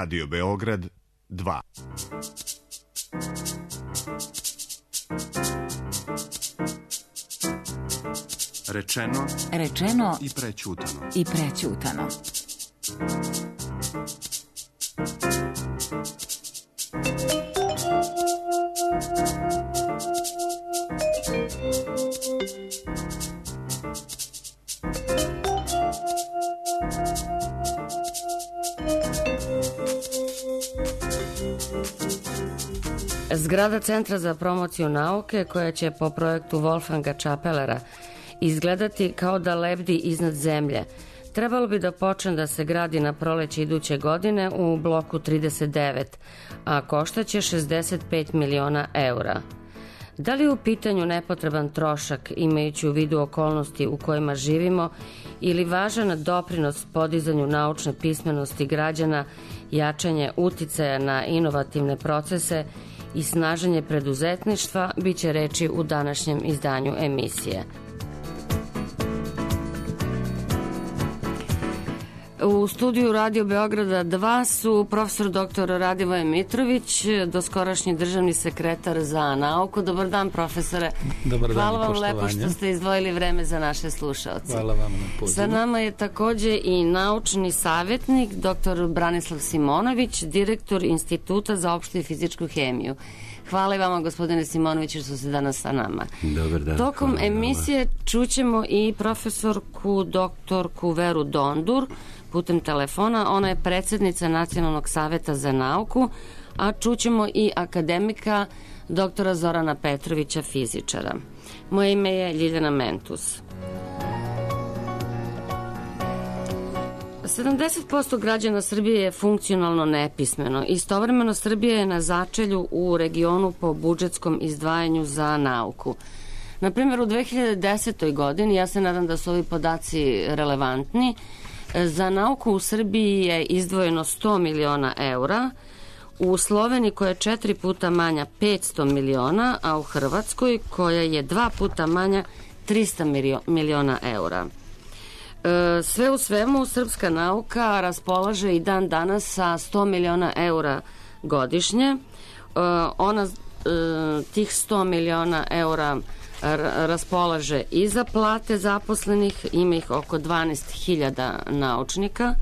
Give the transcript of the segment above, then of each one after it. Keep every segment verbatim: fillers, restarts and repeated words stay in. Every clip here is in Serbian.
Radio Beograd dva. Rečeno, rečeno i prećutano. I prećutano. Zgrada Centra za promociju nauke, koja će po projektu Wolfganga Čapelera izgledati kao da lebdi iznad zemlje, trebalo bi da počne da se gradi na proleće iduće godine u bloku trideset devet, a koštaće šezdeset pet miliona eura. Da li je u pitanju nepotreban trošak, imajući u vidu okolnosti u kojima živimo, ili važan doprinos podizanju naučne pismenosti građana, jačanje uticaja na inovativne procese i snaženje preduzetništva, bit će reči u današnjem izdanju emisije. U studiju Radio Beograda dva su profesor doktor Radivoje Mitrović, doskorašnji državni sekretar za nauku. Dobar dan, profesore. Dobar dan. Hvala vam poštovanje. lepo što ste izdvojili vreme za naše slušaoce. Hvala vam na pozivu. Sa nama je takođe i naučni savjetnik doktor Branislav Simonović, direktor Instituta za opštu i fizičku hemiju. Hvala i vama, gospodine Simonoviću, što ste danas sa nama. Dobar dan. Tokom hvala emisije čućemo i profesorku doktorku Veru Dondur putem telefona. Ona je predsjednica Nacionalnog saveta za nauku, a čućemo i akademika doktora Zorana Petrovića, fizičara. Moje ime je Ljiljana Mentus. sedamdeset posto građana Srbije je funkcionalno nepismeno. Istovremeno Srbija je na začelju u regionu po budžetskom izdvajanju za nauku. Na primjer, u dve hiljade desetoj. godini, ja se nadam da su ovi podaci relevantni, za nauku u Srbiji je izdvojeno sto miliona eura, u Sloveniji, koja je četiri puta manja, petsto miliona, a u Hrvatskoj, koja je dva puta manja, trista miliona eura. Sve u svemu, srpska nauka raspolaže i dan danas sa sto miliona eura godišnje. Ona tih sto miliona eura raspolaže i za plate zaposlenih, ima ih oko dvanaest hiljada naučnika,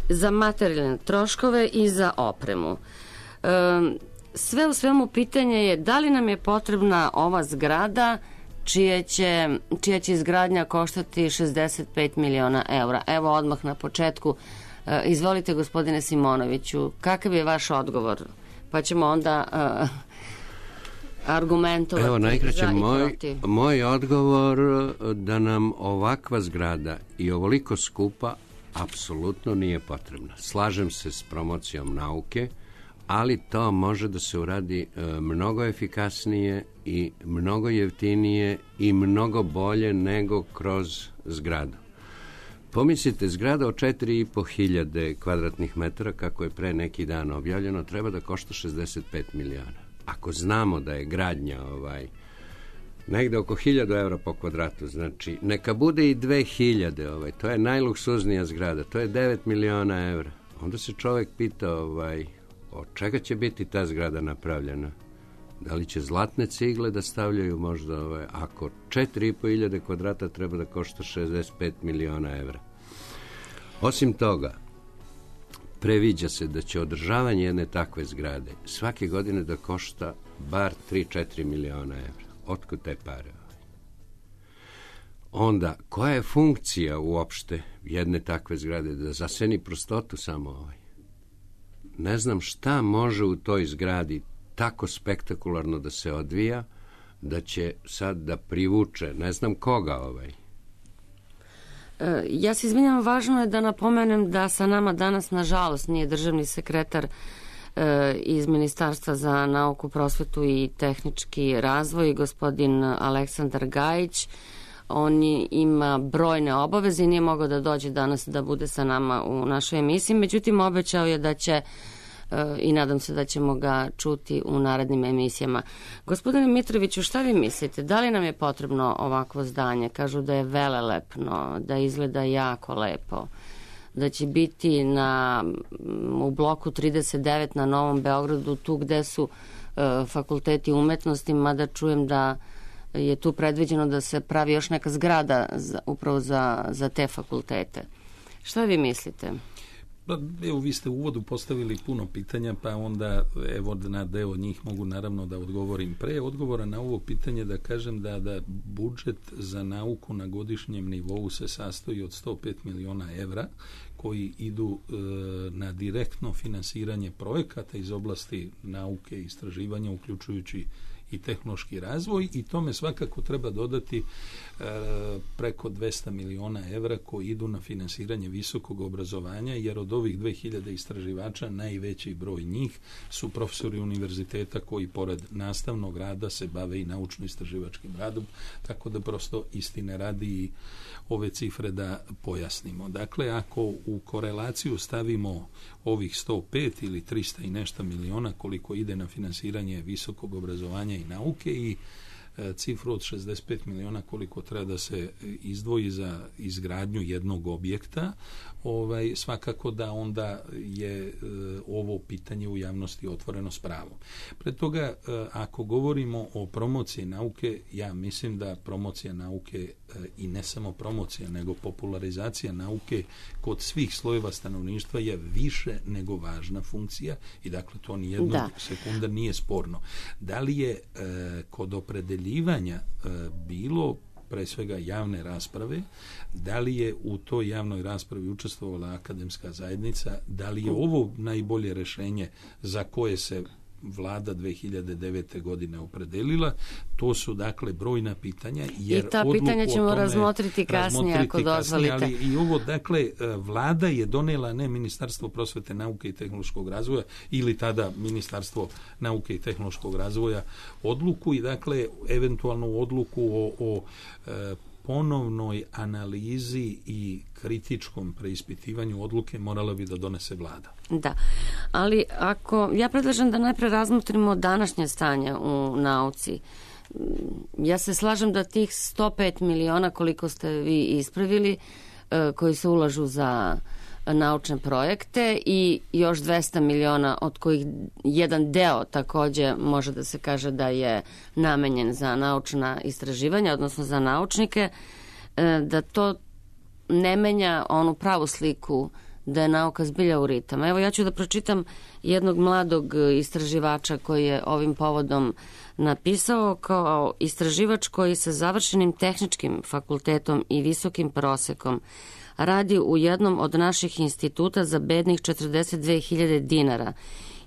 za materijalne troškove i za opremu. Sve u svemu, pitanje je da li nam je potrebna ova zgrada čija će, čija će izgradnja koštati šezdeset pet miliona eura. Evo odmah na početku, izvolite, gospodine Simonoviću, kakav je vaš odgovor? Pa ćemo onda uh, argumentovati. Evo, najkraće, moj, moj odgovor da nam ovakva zgrada i ovoliko skupa apsolutno nije potrebna. Slažem se s promocijom nauke, ali to može da se uradi e, mnogo efikasnije i mnogo jeftinije i mnogo bolje nego kroz zgradu. Pomislite, zgrada od četiri i po hiljade kvadratnih metara, kako je pre neki dan objavljeno, treba da košta šezdeset pet miliona. Ako znamo da je gradnja ovaj, negde oko hiljadu evra po kvadratu, znači neka bude i dve hiljade, ovaj, to je najluksuznija zgrada, to je devet miliona evra. Onda se čovek pita ovaj, od čega će biti ta zgrada napravljena? Da li će zlatne cigle da stavljaju možda, ovaj, ako četiri i po hiljade kvadrata treba da košta šezdeset pet miliona evra. Osim toga, previđa se da će održavanje jedne takve zgrade svake godine da košta bar tri do četiri miliona evra. Otkud te pare? Onda, koja je funkcija uopšte jedne takve zgrade? Da zaseni prostotu samo ovaj? Ne znam šta može u toj zgradi tako spektakularno da se odvija, da će sad da privuče, ne znam koga ovaj. Ja se izvinjam, važno je da napomenem da sa nama danas, nažalost, nije državni sekretar e, iz Ministarstva za nauku, prosvetu i tehnički razvoj, gospodin Aleksandar Gajić. On ima brojne obaveze i nije mogao da dođe danas da bude sa nama u našoj emisiji, međutim obećao je da će i nadam se da ćemo ga čuti u narednim emisijama. Gospodine Mitroviću, šta vi mislite? Da li nam je potrebno ovakvo zdanje? Kažu da je velelepno, da izgleda jako lepo. da će biti na, u bloku trideset devet na Novom Beogradu, tu gde su e, fakulteti umetnosti, mada čujem da je tu predviđeno da se pravi još neka zgrada za, upravo za, za te fakultete. Šta vi mislite? Pa, evo, vi ste u uvodu postavili puno pitanja, pa onda evo na deo njih mogu naravno da odgovorim. Pre odgovora na ovo pitanje da kažem da, da budžet za nauku na godišnjem nivou se sastoji od sto pet miliona evra koji idu e, na direktno finansiranje projekata iz oblasti nauke i istraživanja, uključujući i tehnološki razvoj, i tome svakako treba dodati e, preko dvesta miliona evra koji idu na finansiranje visokog obrazovanja, jer od ovih dve hiljade istraživača najveći broj njih su profesori univerziteta koji pored nastavnog rada se bave i naučno-istraživačkim radom, tako da prosto istine radi i ove cifre da pojasnimo. Dakle, ako u korelaciju stavimo ovih sto pet ili trista i nešto miliona koliko ide na finansiranje visokog obrazovanja i nauke i e, cifru od šezdeset pet miliona koliko treba da se izdvoji za izgradnju jednog objekta, ovaj, svakako da onda je e, ovo pitanje u javnosti otvoreno s pravom. Pre toga, e, ako govorimo o promociji nauke, ja mislim da promocija nauke e, i ne samo promocija, nego popularizacija nauke kod svih slojeva stanovništva je više nego važna funkcija i dakle to ni jednog da. sekunda nije sporno. Da li je e, kod opredeljivanja e, bilo pre svega javne rasprave, da li je u toj javnoj raspravi učestvovala akademska zajednica, da li je ovo najbolje rešenje za koje se vlada dve hiljade devete godine opredelila, to su dakle brojna pitanja. Jer i ta pitanja ćemo razmotriti kasnije ako dozvolite. Ali i ovo, dakle, vlada je donela, ne Ministarstvo prosvete, nauke i tehnološkog razvoja ili tada Ministarstvo nauke i tehnološkog razvoja odluku i dakle eventualnu odluku o, o e, ponovnoj analizi i kritičkom preispitivanju odluke morala bi da donese vlada. Da, ali ako, ja predlažem da najpre razmotrimo današnje stanje u nauci. Ja se slažem da tih sto pet miliona koliko ste vi ispravili, koji se ulažu za naučne projekte i još dvesta miliona od kojih jedan deo takođe može da se kaže da je namenjen za naučna istraživanja, odnosno za naučnike, da to ne menja onu pravu sliku da je nauka zbilja u ritama. Evo ja ću da pročitam jednog mladog istraživača koji je ovim povodom napisao: kao istraživač koji sa završenim tehničkim fakultetom i visokim prosekom radi u jednom od naših instituta za bednih četrdeset dve hiljade dinara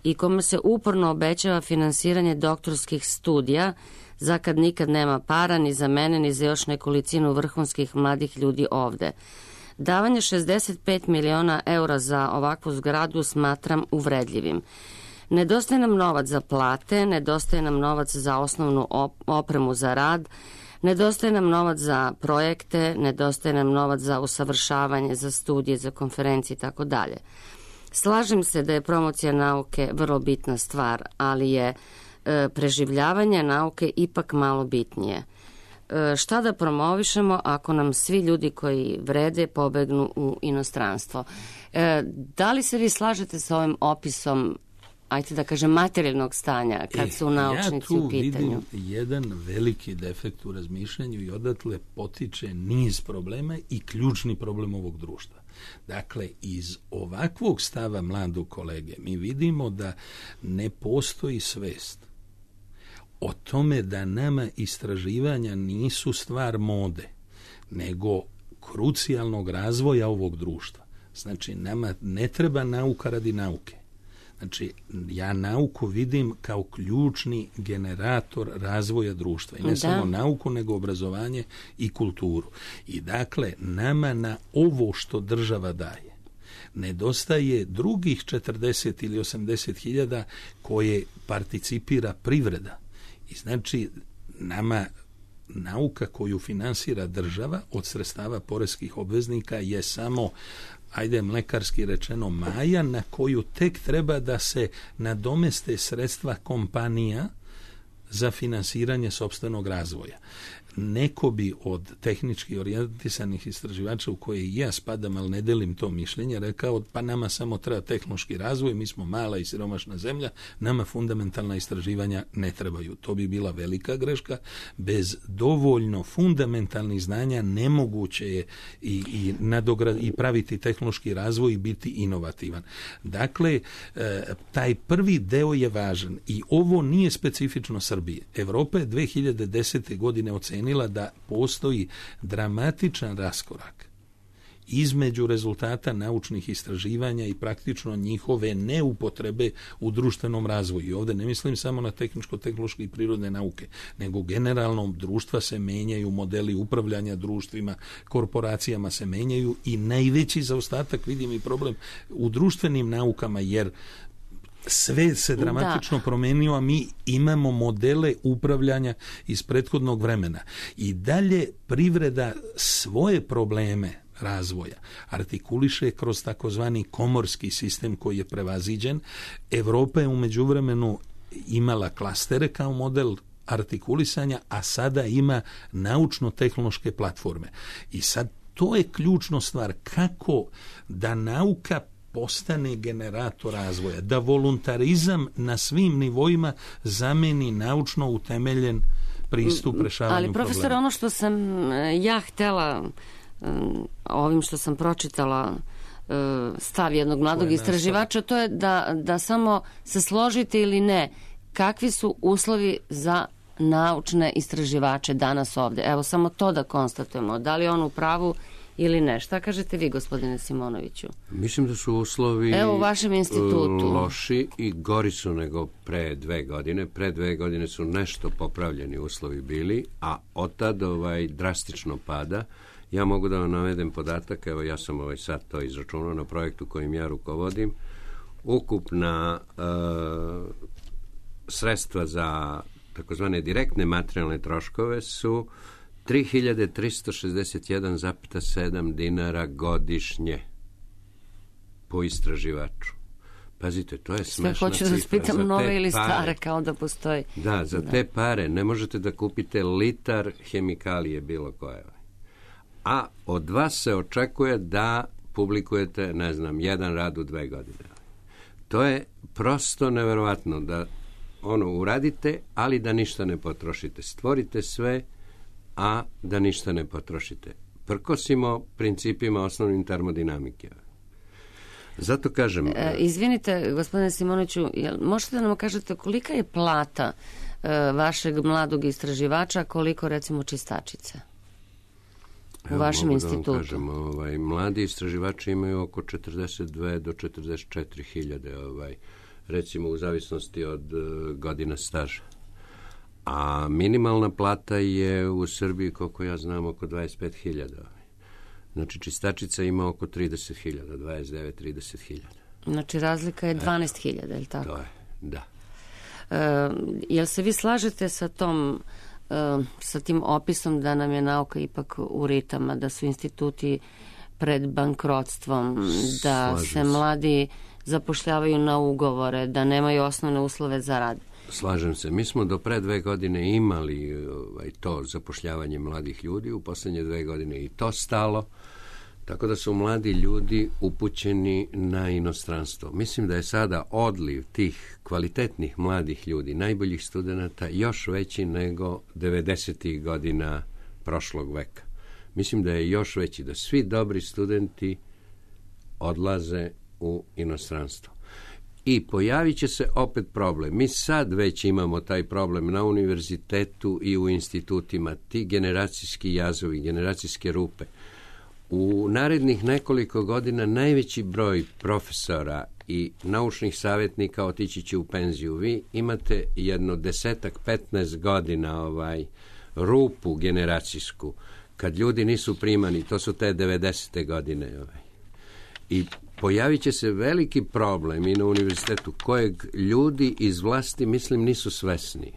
i kome se uporno obećava finansiranje doktorskih studija, za kad nikad nema para ni za mene ni za još nekolicinu vrhunskih mladih ljudi ovde. Davanje šezdeset pet miliona eura za ovakvu zgradu smatram uvredljivim. Nedostaje nam novac za plate, nedostaje nam novac za osnovnu opremu za rad, nedostaje nam novac za projekte, nedostaje nam novac za usavršavanje, za studije, za konferencije i tako dalje. Slažem se da je promocija nauke vrlo bitna stvar, ali je e, preživljavanje nauke ipak malo bitnije. E, šta da promovišemo ako nam svi ljudi koji vrede pobegnu u inostranstvo? E, da li se vi slažete sa ovim opisom, ajte da kažem, materijalnog stanja kad su naučnici u pitanju? Ja tu vidim jedan veliki defekt u razmišljanju i odatle potiče niz problema i ključni problem ovog društva. Dakle, iz ovakvog stava mladog kolege mi vidimo da ne postoji svest o tome da nama istraživanja nisu stvar mode, nego krucijalnog razvoja ovog društva. Znači, nama ne treba nauka radi nauke. Znači, ja nauku vidim kao ključni generator razvoja društva. I ne da. samo nauku, nego obrazovanje i kulturu. I dakle, nama na ovo što država daje nedostaje drugih četrdeset ili osamdeset hiljada koje participira privreda. I znači, nama nauka koju finansira država od sredstava poreskih obveznika je samo, ajde mlekarski rečeno, maja na koju tek treba da se nadomeste sredstva kompanija za finansiranje sopstvenog razvoja. neko bi od tehnički orijentisanih istraživača u koje i ja spadam, ali ne delim to mišljenje, rekao pa nama samo treba tehnološki razvoj, mi smo mala i siromašna zemlja, nama fundamentalna istraživanja ne trebaju. To bi bila velika greška. Bez dovoljno fundamentalnih znanja nemoguće je i, i, nadograd, i praviti tehnološki razvoj i biti inovativan. Dakle, taj prvi deo je važan i ovo nije specifično Srbije. Evropa je dve hiljade desete. godine ocenila da postoji dramatičan raskorak između rezultata naučnih istraživanja i praktično njihove neupotrebe u društvenom razvoju. I ovdje ne mislim samo na tehničko-tehnološke i prirodne nauke, nego generalno društva se menjaju, modeli upravljanja društvima, korporacijama se menjaju i najveći zaostatak vidim i problem u društvenim naukama, jer sve se dramatično da. promenio, a mi imamo modele upravljanja iz prethodnog vremena. I dalje privreda svoje probleme razvoja artikuliše kroz takozvani komorski sistem koji je prevaziđen. Evropa je u međuvremenu imala klastere kao model artikulisanja, a sada ima naučno-tehnološke platforme. I sad to je ključna stvar, kako da nauka postane generator razvoja, da voluntarizam na svim nivoima zameni naučno utemeljen pristup rešavanju problema. Ali profesor, problema. Ono što sam ja htela ovim što sam pročitala stav jednog mladog istraživača, to je da, da samo se složite ili ne, kakvi su uslovi za naučne istraživače danas ovde. Evo, samo to da konstatujemo. Da li je on u pravu ili ne? Šta kažete vi, gospodine Simonoviću? Mislim da su uslovi Evo, u vašem institutu loši i gori su nego pre dve godine. Pre dve godine su nešto popravljeni uslovi bili, a od tada ovaj, drastično pada. Ja mogu da vam navedem podatak, evo ja sam ovaj sad to izračunao na projektu kojim ja rukovodim. Ukupna e, sredstva za takozvane direktne materijalne troškove su tri hiljade tristo šezdeset jedan zarez sedam dinara godišnje po istraživaču. Pazite, to je smešna cifra. Hoću da vas pitam nove ili stare, kao da postoji. Da, za da. te pare ne možete da kupite litar hemikalije bilo koje. A od vas se očekuje da publikujete, ne znam, jedan rad u dve godine. To je prosto neverovatno da ono uradite, ali da ništa ne potrošite. Stvorite sve, a da ništa ne potrošite. Prkosimo principima osnovnim termodinamike. Zato kažem... E, izvinite, gospodine Simonoviću, jel, možete da nam kažete kolika je plata e, vašeg mladog istraživača, koliko recimo čistačice u Evo, vašem institutu? Da kažem, ovaj, mladi istraživači imaju oko četrdeset dve do četrdeset četiri hiljade, ovaj, recimo u zavisnosti od uh, godina staža. A minimalna plata je u Srbiji, koliko ja znam, oko dvadeset pet hiljada. Znači, čistačica ima oko trideset hiljada, dvadeset devet do trideset hiljada. Znači, razlika je dvanaest hiljada, je li tako? To je, da. E, jel se vi slažete sa tom, e, sa tim opisom da nam je nauka ipak u ritama, da su instituti pred bankrotstvom, da Slažem se mladi zapošljavaju na ugovore, da nemaju osnovne uslove za rad? Slažem se. Mi smo do pre dve godine imali ovaj, to zapošljavanje mladih ljudi, u posljednje dve godine i to stalo, tako da su mladi ljudi upućeni na inostranstvo. Mislim da je sada odliv tih kvalitetnih mladih ljudi, najboljih studenata, još veći nego devedesetih godina prošlog veka. Mislim da je još veći, da svi dobri studenti odlaze u inostranstvo. I pojavit će se opet problem. Mi sad već imamo taj problem na univerzitetu i u institutima, ti generacijski jazovi, generacijske rupe. U narednih nekoliko godina najveći broj profesora i naučnih savjetnika otići će u penziju. Vi imate jedno desetak, petnaest godina ovaj, rupu generacijsku, kad ljudi nisu primani, to su te devedesete godine. Ovaj. I pojavit će se veliki problem i na univerzitetu kojeg ljudi iz vlasti, mislim, nisu svesni. E,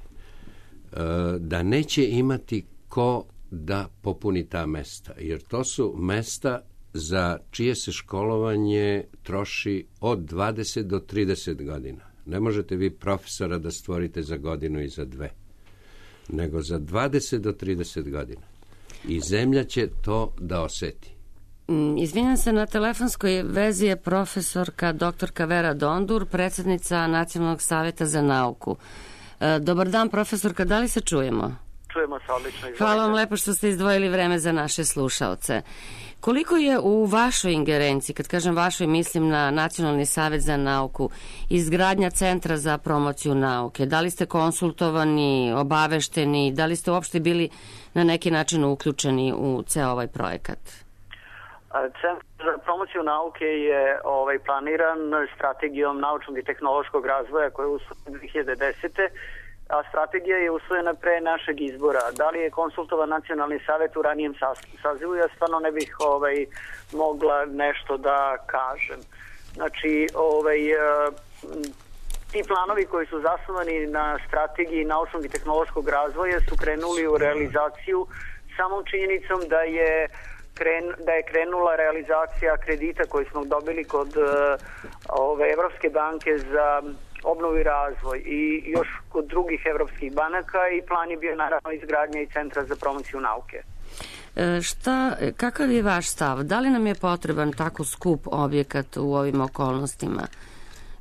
da neće imati ko da popuni ta mesta. Jer to su mesta za čije se školovanje troši od dvadeset do trideset godina. Ne možete vi profesora da stvorite za godinu i za dve. nego za dvadeset do trideset godina. I zemlja će to da oseti. Izvinjam se, na telefonskoj vezi je profesorka doktorka Vera Dondur, predsjednica Nacionalnog saveta za nauku. Dobar dan, profesorka, da li se čujemo? Čujemo se odlično. Izvolite. Hvala vam lepo što ste izdvojili vreme za naše slušaoce. Koliko je u vašoj ingerenciji, kad kažem vašoj, mislim na Nacionalni savet za nauku, izgradnja centra za promociju nauke? Da li ste konsultovani, obavešteni, da li ste uopšte bili na neki način uključeni u ceo ovaj projekat? Centar za promociju nauke je ovaj, planiran strategijom naučnog i tehnološkog razvoja koja je usvojena dve hiljade desete. a strategija je usvojena pre našeg izbora. Da li je konsultovan Nacionalni savet u ranijem sazivu, ja stvarno ne bih ovaj, mogla nešto da kažem. Znači, ovaj, ti planovi koji su zasnovani na strategiji naučnog i tehnološkog razvoja su krenuli u realizaciju samom činjenicom da je Kren, da je krenula realizacija kredita koji smo dobili kod uh, ove Evropske banke za obnovu i razvoj i još kod drugih evropskih banaka, i plan je bio naravno izgradnja i centra za promociju nauke. E, šta, kakav je vaš stav? Da li nam je potreban tako skup objekat u ovim okolnostima,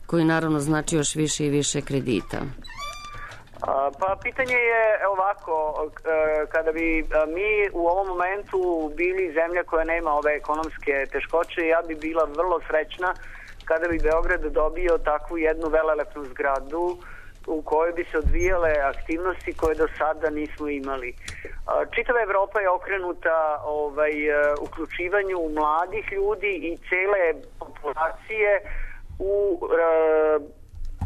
koji naravno znači još više i više kredita? Pa pitanje je ovako, kada bi mi u ovom momentu bili zemlja koja nema ove ekonomske teškoće, ja bi bila vrlo srećna kada bi Beograd dobio takvu jednu velelepnu zgradu u kojoj bi se odvijale aktivnosti koje do sada nismo imali. Čitava Evropa je okrenuta ovaj, uključivanju mladih ljudi i cele populacije u e,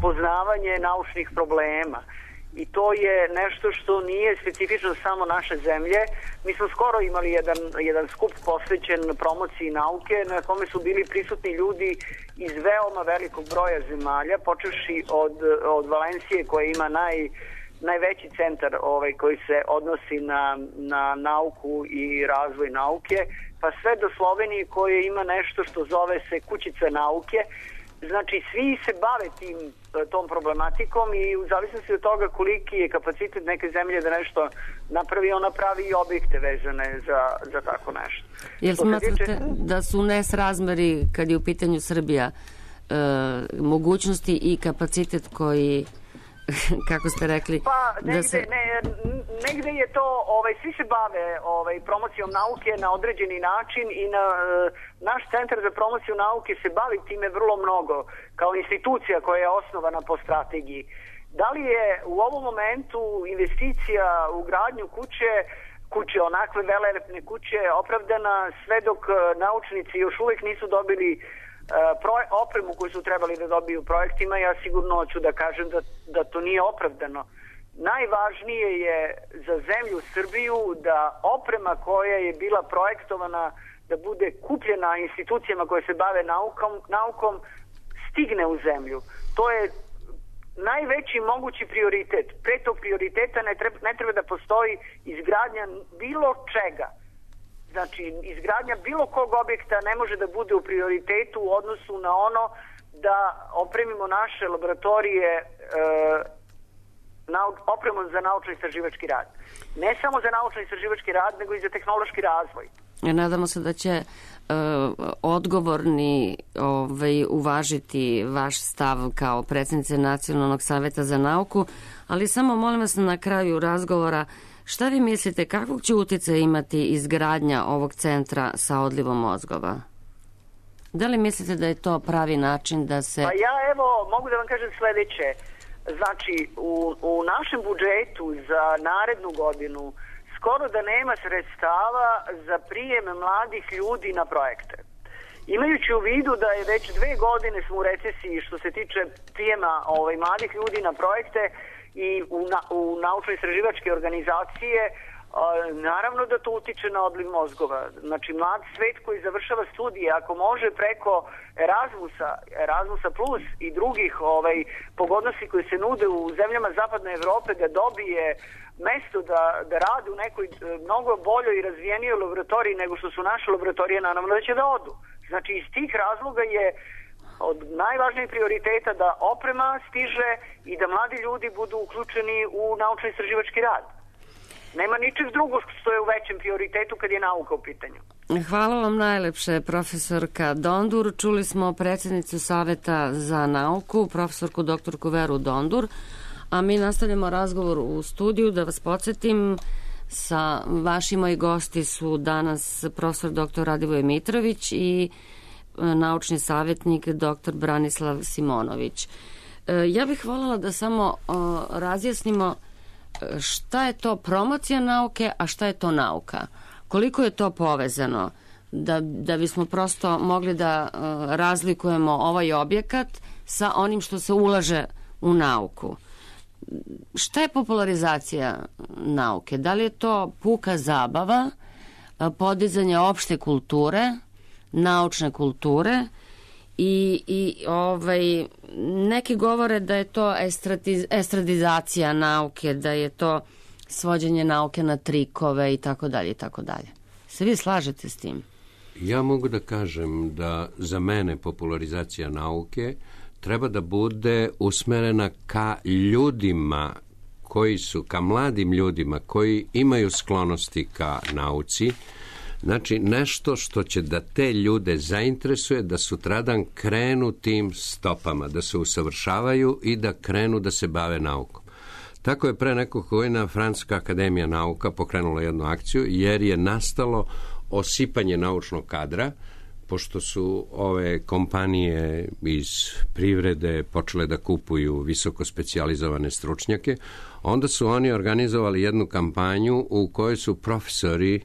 poznavanje naučnih problema. I to je nešto što nije specifično samo naše zemlje. Mi smo skoro imali jedan, jedan skup posvećen promociji nauke na kome su bili prisutni ljudi iz veoma velikog broja zemalja, počevši od, od Valencije koja ima naj, najveći centar ovaj, koji se odnosi na, na nauku i razvoj nauke, pa sve do Slovenije koje ima nešto što zove se Kućica nauke. Znači, svi se bave tim, tom problematikom i u zavisnosti od toga koliki je kapacitet neke zemlje da nešto napravi, ona pravi i objekte vezane za, za tako nešto. Jel smatrate tiče... da su nesrazmeri, kad je u pitanju Srbija, e, mogućnosti i kapacitet koji, kako ste rekli... Pa, negde, da se... ne, negde je to, ovaj, svi se bave ovaj, promocijom nauke na određeni način i na, naš centar za promociju nauke se bavi time vrlo mnogo, kao institucija koja je osnovana po strategiji. Da li je u ovom momentu investicija u gradnju kuće, kuće, onakve velelepne kuće, opravdana sve dok naučnici još uvijek nisu dobili uh, opremu koju su trebali da dobiju projektima, ja sigurno ću da kažem da, da to nije opravdano. Najvažnije je za zemlju Srbiju da oprema koja je bila projektovana da bude kupljena institucijama koje se bave naukom, naukom stigne u zemlju. To je najveći mogući prioritet. Pre tog prioriteta ne treba, ne treba da postoji izgradnja bilo čega. Znači, izgradnja bilo kog objekta ne može da bude u prioritetu u odnosu na ono da opremimo naše laboratorije e, opremom za naučno-istraživački rad. Ne samo za naučno-istraživački rad, nego i za tehnološki razvoj. Nadamo se da će uh, odgovorni ovaj, uvažiti vaš stav kao predsjednice Nacionalnog saveta za nauku, ali samo molim vas na kraju razgovora, šta vi mislite, kakvog će utjecaja imati izgradnja ovog centra sa odlivom mozgova? Da li mislite da je to pravi način da se... Pa ja evo mogu da vam kažem sledeće. Znači, u, u našem budžetu za narednu godinu skoro da nema sredstava za prijem mladih ljudi na projekte. Imajući u vidu da je već dve godine smo u recesiji što se tiče prijema ovaj, mladih ljudi na projekte i u, na, u naučno-istraživačke organizacije, naravno da to utiče na odliv mozgova. Znači, mlad svet koji završava studije, ako može preko Erasmusa, Erasmusa plus i drugih ovaj, pogodnosti koji se nude u zemljama Zapadne Evrope, da dobije mesto da, da rade u nekoj mnogo boljoj i razvijenijoj laboratoriji nego što su naše laboratorije, naravno da će da odu. Znači, iz tih razloga je od najvažnijih prioriteta da oprema stiže i da mladi ljudi budu uključeni u naučno-istraživački rad. Nema ničeg drugog što je u većem prioritetu kad je nauka u pitanju. Hvala vam najlepše, profesorka Dondur. Čuli smo predsjednicu Saveta za nauku, profesorku doktorku Veru Dondur, a mi nastavljamo razgovor u studiju. Da vas podsjetim, sa vaši moji gosti su danas profesor doktor Radivoj Mitrović i naučni savjetnik doktor Branislav Simonović. Ja bih voljela da samo razjasnimo šta je to promocija nauke, a šta je to nauka. Koliko je to povezano, da, da bismo prosto mogli da razlikujemo ovaj objekat sa onim što se ulaže u nauku. Šta je popularizacija nauke? Da li je to puka zabava, podizanje opšte kulture, naučne kulture i, i ovaj, neki govore da je to estradiz, estradizacija nauke, da je to svođenje nauke na trikove i tako dalje i tako dalje. Se vi slažete s tim? Ja mogu da kažem da za mene popularizacija nauke treba da bude usmerena ka ljudima koji su, ka mladim ljudima koji imaju sklonosti ka nauci. Znači, nešto što će da te ljude zainteresuje da sutradan krenu tim stopama, da se usavršavaju i da krenu da se bave naukom. Tako je pre nekog godina Francuska akademija nauka pokrenula jednu akciju jer je nastalo osipanje naučnog kadra, pošto su ove kompanije iz privrede počele da kupuju visoko specijalizovane stručnjake, onda su oni organizovali jednu kampanju u kojoj su profesori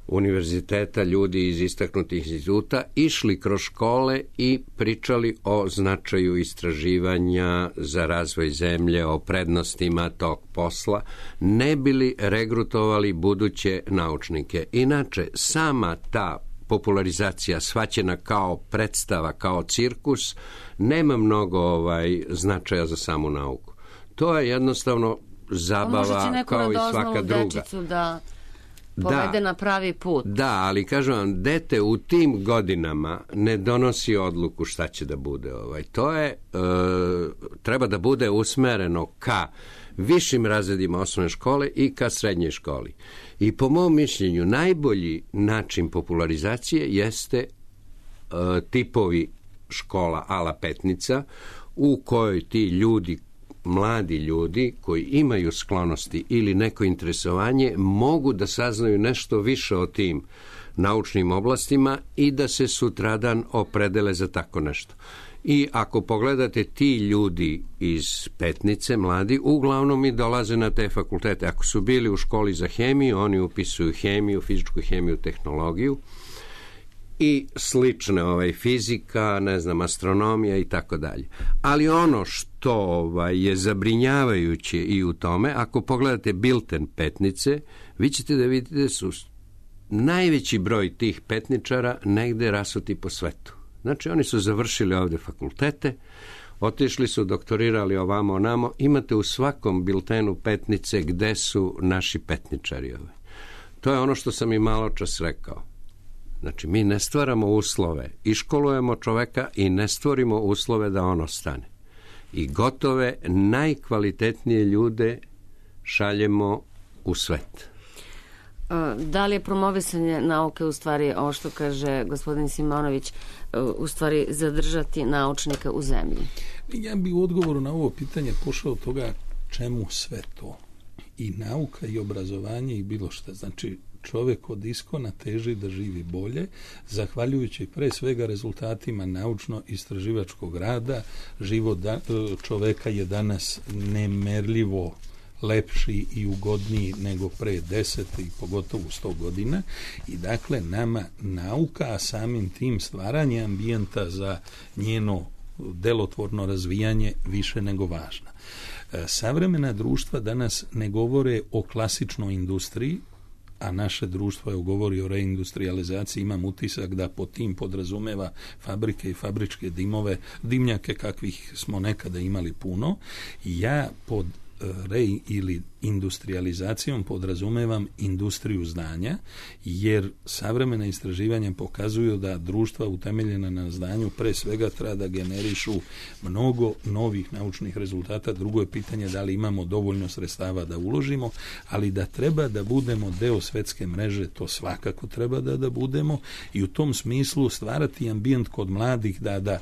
univerziteta, ljudi iz istaknutih instituta, išli kroz škole i pričali o značaju istraživanja za razvoj zemlje, o prednostima tog posla, ne bili regrutovali buduće naučnike. Inače, sama ta popularizacija shvaćena kao predstava, kao cirkus, nema mnogo ovaj, značaja za samu nauku. To je jednostavno zabava kao i svaka druga. Da povede na pravi put. Da, ali kažem vam, dete u tim godinama ne donosi odluku šta će da bude. Ovaj. To je, e, treba da bude usmereno ka višim razredima osnovne škole i ka srednjoj školi. I po mom mišljenju najbolji način popularizacije jeste e, tipovi škola ala Petnica u kojoj ti ljudi, mladi ljudi koji imaju sklonosti ili neko interesovanje mogu da saznaju nešto više o tim naučnim oblastima i da se sutradan opredele za tako nešto. I ako pogledate, ti ljudi iz Petnice, mladi, uglavnom i dolaze na te fakultete. Ako su bili u školi za hemiju, oni upisuju hemiju, fizičku hemiju, tehnologiju i slične, ovaj, fizika, ne znam, astronomija i tako dalje. Ali ono što ovaj, je zabrinjavajuće i u tome, ako pogledate bilten Petnice, vi ćete da vidite da su najveći broj tih petničara negde rasuti po svetu. Znači, oni su završili ovde fakultete, otišli su, doktorirali ovamo onamo, imate u svakom biltenu Petnice gde su naši petničari. Ovaj. To je ono što sam i malo čas rekao. Znači, mi ne stvaramo uslove, iškolujemo čoveka i ne stvorimo uslove da on ostane. I gotove, najkvalitetnije ljude šaljemo u svet. Da li je promovisanje nauke u stvari, ovo što kaže gospodin Simonović, u stvari zadržati naučnika u zemlji? Ja bih u odgovoru na ovo pitanje pošao od toga čemu sve to. I nauka i obrazovanje i bilo šta. Znači, čovjek od iskona teži da živi bolje, zahvaljujući pre svega rezultatima naučno-istraživačkog rada. Život da, čoveka je danas nemerljivo lepši i ugodniji nego pre deset i pogotovo sto godina. I dakle, nama nauka, a samim tim stvaranje ambijenta za njeno delotvorno razvijanje više nego važna. Savremena društva danas ne govore o klasičnoj industriji, a naše društvo je govori o reindustrializaciji. Imam utisak da po tim podrazumeva fabrike i fabričke dimove, dimnjake kakvih smo nekada imali puno. Ja pod re ili industrializacijom podrazumevam industriju znanja, jer savremena istraživanja pokazuju da društva utemeljena na znanju pre svega treba da generišu mnogo novih naučnih rezultata. Drugo je pitanje da li imamo dovoljno sredstava da uložimo, ali da treba da budemo deo svetske mreže, to svakako treba da da budemo, i u tom smislu stvarati ambijent kod mladih da da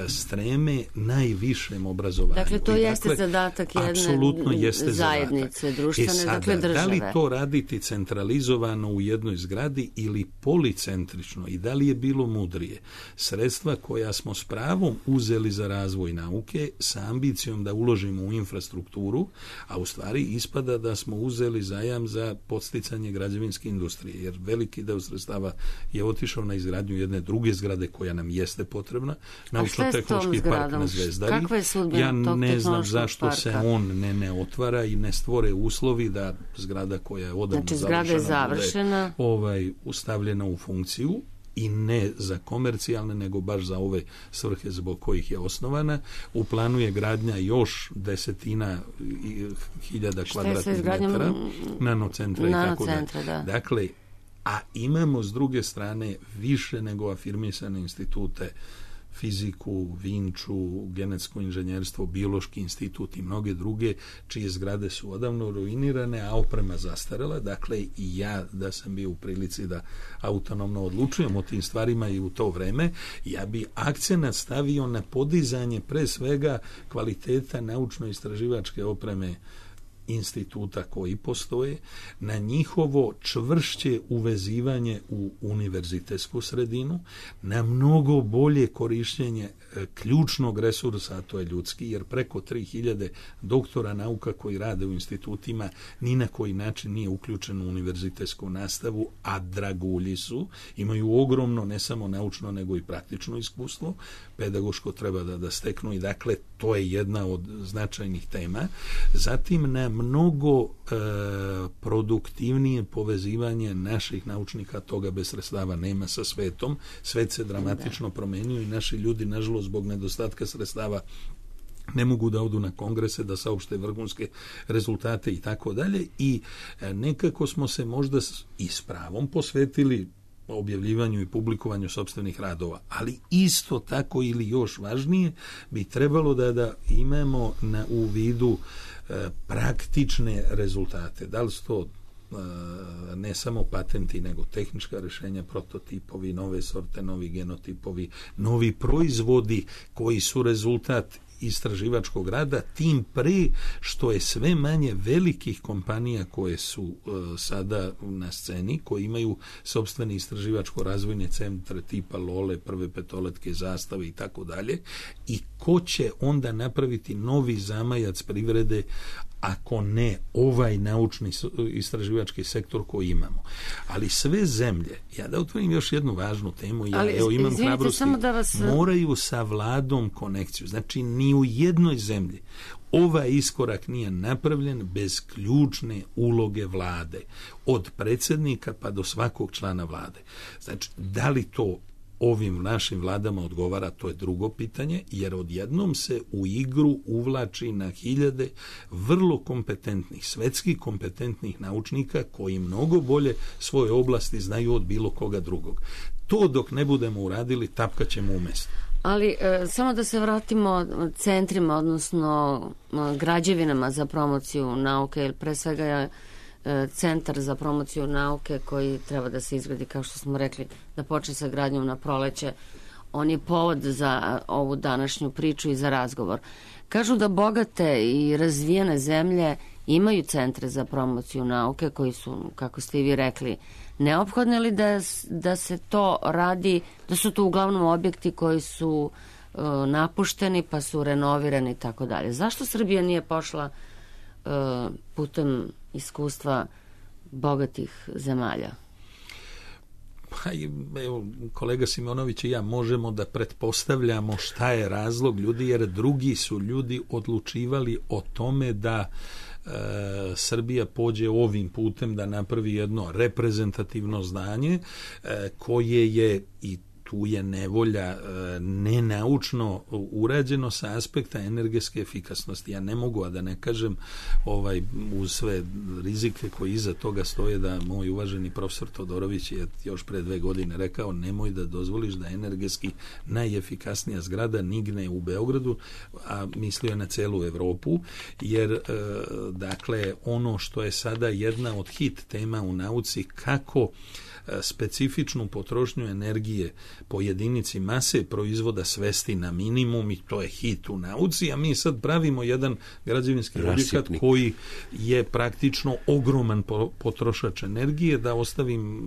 streme najvišem obrazovanju. Dakle, to I, jeste dakle, zadatak jedne jeste zajednice, društvene, e sada, dakle države. Da li to raditi centralizovano u jednoj zgradi ili policentrično, i da li je bilo mudrije sredstva koja smo s pravom uzeli za razvoj nauke sa ambicijom da uložimo u infrastrukturu, a u stvari ispada da smo uzeli zajam za podsticanje građevinske industrije, jer veliki deo sredstava je otišao na izgradnju jedne druge zgrade koja nam jeste potrebna, naučno-tehnološki park na Zvezdari. Ja ne znam zašto parka? se on ne, ne otvara i ne stvore uslovi da zgrada koja je odavno znači, zgrada je završena, bude, ovaj, ustavljena u funkciju, i ne za komercijalne, nego baš za ove svrhe zbog kojih je osnovana. U planu je gradnja još desetina hiljada kvadratnih metara nanocentra i tako da. da. Dakle, a imamo s druge strane više nego afirmisane institute, fiziku, Vinču, genetsko inženjerstvo, biološki institut i mnoge druge, čije zgrade su odavno ruinirane, a oprema zastarela. Dakle, i ja da sam bio u prilici da autonomno odlučujem o tim stvarima i u to vreme, ja bi akcenat stavio na podizanje pre svega kvaliteta naučno-istraživačke opreme instituta koji postoje, na njihovo čvršće uvezivanje u univerzitetsku sredinu, na mnogo bolje korišćenje ključnog resursa, a to je ljudski, jer preko tri hiljade doktora nauka koji rade u institutima ni na koji način nije uključen u univerzitetsku nastavu, a dragulji su, imaju ogromno ne samo naučno nego i praktično iskustvo, pedagoško treba da, da steknu, i dakle to je jedna od značajnih tema. Zatim na mnogo e, produktivnije povezivanje naših naučnika, toga bez sredstava nema, sa svetom. Svet se dramatično promenio i naši ljudi, nažalost, zbog nedostatka sredstava ne mogu da odu na kongrese, da saopšte vrhunske rezultate i tako dalje, i nekako smo se možda i s pravom posvetili objavljivanju i publikovanju sopstvenih radova, ali isto tako ili još važnije bi trebalo da, da imamo na, u vidu e, praktične rezultate. Da li su to e, ne samo patenti, nego tehnička rešenja, prototipovi, nove sorte, novi genotipovi, novi proizvodi koji su rezultat istraživačkog rada, tim pre što je sve manje velikih kompanija koje su uh, sada na sceni, koji imaju sopstvene istraživačko-razvojne centre tipa Lole, Prve petoletke, Zastave i tako dalje, i ko će onda napraviti novi zamajac privrede ako ne ovaj naučni istraživački sektor koji imamo. Ali sve zemlje, ja da otvorim još jednu važnu temu, ja Ali, evo imam izvinite, hrabrosti, da vas... moraju sa vladom konekciju. Znači, ni u jednoj zemlji ovaj iskorak nije napravljen bez ključne uloge vlade. Od predsjednika pa do svakog člana vlade. Znači, da li to ovim našim vladama odgovara, to je drugo pitanje, jer odjednom se u igru uvlači na hiljade vrlo kompetentnih, svetski kompetentnih naučnika koji mnogo bolje svoje oblasti znaju od bilo koga drugog. To dok ne budemo uradili, tapkat ćemo u mestu. Ali e, samo da se vratimo centrima, odnosno građevinama za promociju nauke, jer pre svega je centar za promociju nauke koji treba da se izgradi, kao što smo rekli, da počne sa gradnjom na proleće. On je povod za ovu današnju priču i za razgovor. Kažu da bogate i razvijene zemlje imaju centre za promociju nauke koji su, kako ste i vi rekli, neophodni, li da, da se to radi, da su to uglavnom objekti koji su uh, napušteni pa su renovirani i tako dalje. Zašto Srbija nije pošla uh, putem iskustva bogatih zemalja? Pa, evo, kolega Simonović i ja možemo da pretpostavljamo šta je razlog ljudi, jer drugi su ljudi odlučivali o tome da e, Srbija pođe ovim putem, da napravi jedno reprezentativno zdanje e, koje je, i tu je nevolja nenaučno urađeno sa aspekta energetske efikasnosti. Ja ne mogu, a da ne kažem ovaj, uz sve rizike koji iza toga stoje, da moj uvaženi profesor Todorović je još pre dve godine rekao, nemoj da dozvoliš da energetski najefikasnija zgrada nigne u Beogradu, a mislio je na celu Evropu, jer e, dakle ono što je sada jedna od hit tema u nauci, kako specifičnu potrošnju energije po jedinici mase proizvoda svesti na minimum, i to je hit u nauci, a mi sad pravimo jedan građevinski objekat koji je praktično ogroman potrošač energije. Da ostavim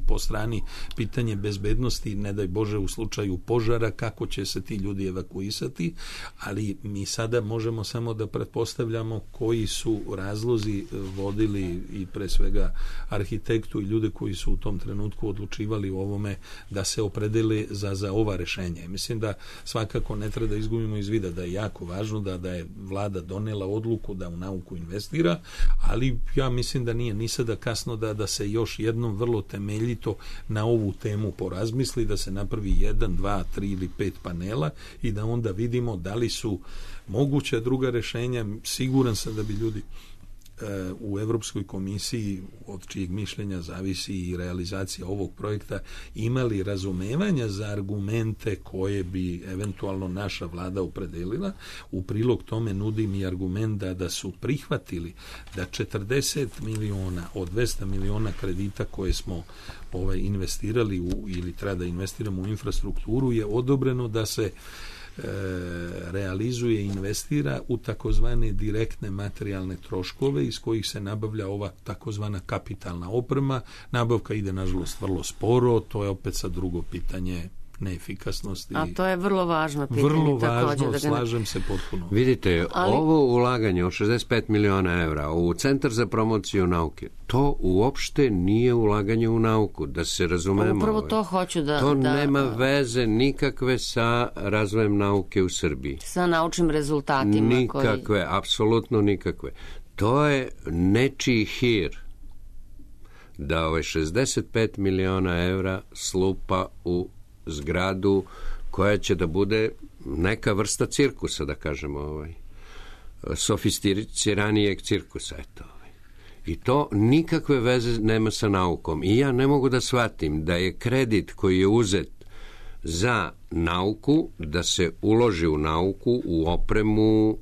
po strani pitanje bezbednosti, ne daj Bože u slučaju požara, kako će se ti ljudi evakuisati, ali mi sada možemo samo da pretpostavljamo koji su razlozi vodili i pre svega arhitektu i ljude koji su u tom trenutku odlučivali o ovome da se opredeli za, za ova rešenja. Mislim da svakako ne treba da izgubimo iz vida da je jako važno da, da je vlada donela odluku da u nauku investira, ali ja mislim da nije ni sada kasno da, da se još jednom vrlo temeljito na ovu temu porazmisli, da se napravi jedan, dva, tri ili pet panela i da onda vidimo da li su moguća druga rešenja. Siguran sam da bi ljudi u Evropskoj komisiji, od čijeg mišljenja zavisi i realizacija ovog projekta, imali razumevanja za argumente koje bi eventualno naša vlada opredelila. U prilog tome nudim i argument da, da su prihvatili da četrdeset miliona od dvesta miliona kredita koje smo ovaj, investirali u, ili treba da investiramo u infrastrukturu, je odobreno da se realizuje i investira u takozvane direktne materijalne troškove iz kojih se nabavlja ova takozvana kapitalna oprema. Nabavka ide nažalost vrlo sporo, to je opet sad drugo pitanje neefikasnosti. A to je vrlo važno pitanje. Vrlo važno, također, da slažem ne... se potpuno. Vidite, ali... ovo ulaganje od šezdeset pet miliona evra u Centar za promociju nauke, to uopšte nije ulaganje u nauku, da se razumemo. Upravo to hoću da... To da... nema veze nikakve sa razvojem nauke u Srbiji. Sa naučnim rezultatima. Nikakve, koji... apsolutno nikakve. To je nečiji hir da ove šezdeset pet miliona evra slupa u zgradu koja će da bude neka vrsta cirkusa, da kažemo, ovaj, sofisticiranijeg cirkusa, eto. Ovaj. I to nikakve veze nema sa naukom. I ja ne mogu da shvatim da je kredit koji je uzet za nauku, da se uloži u nauku, u opremu,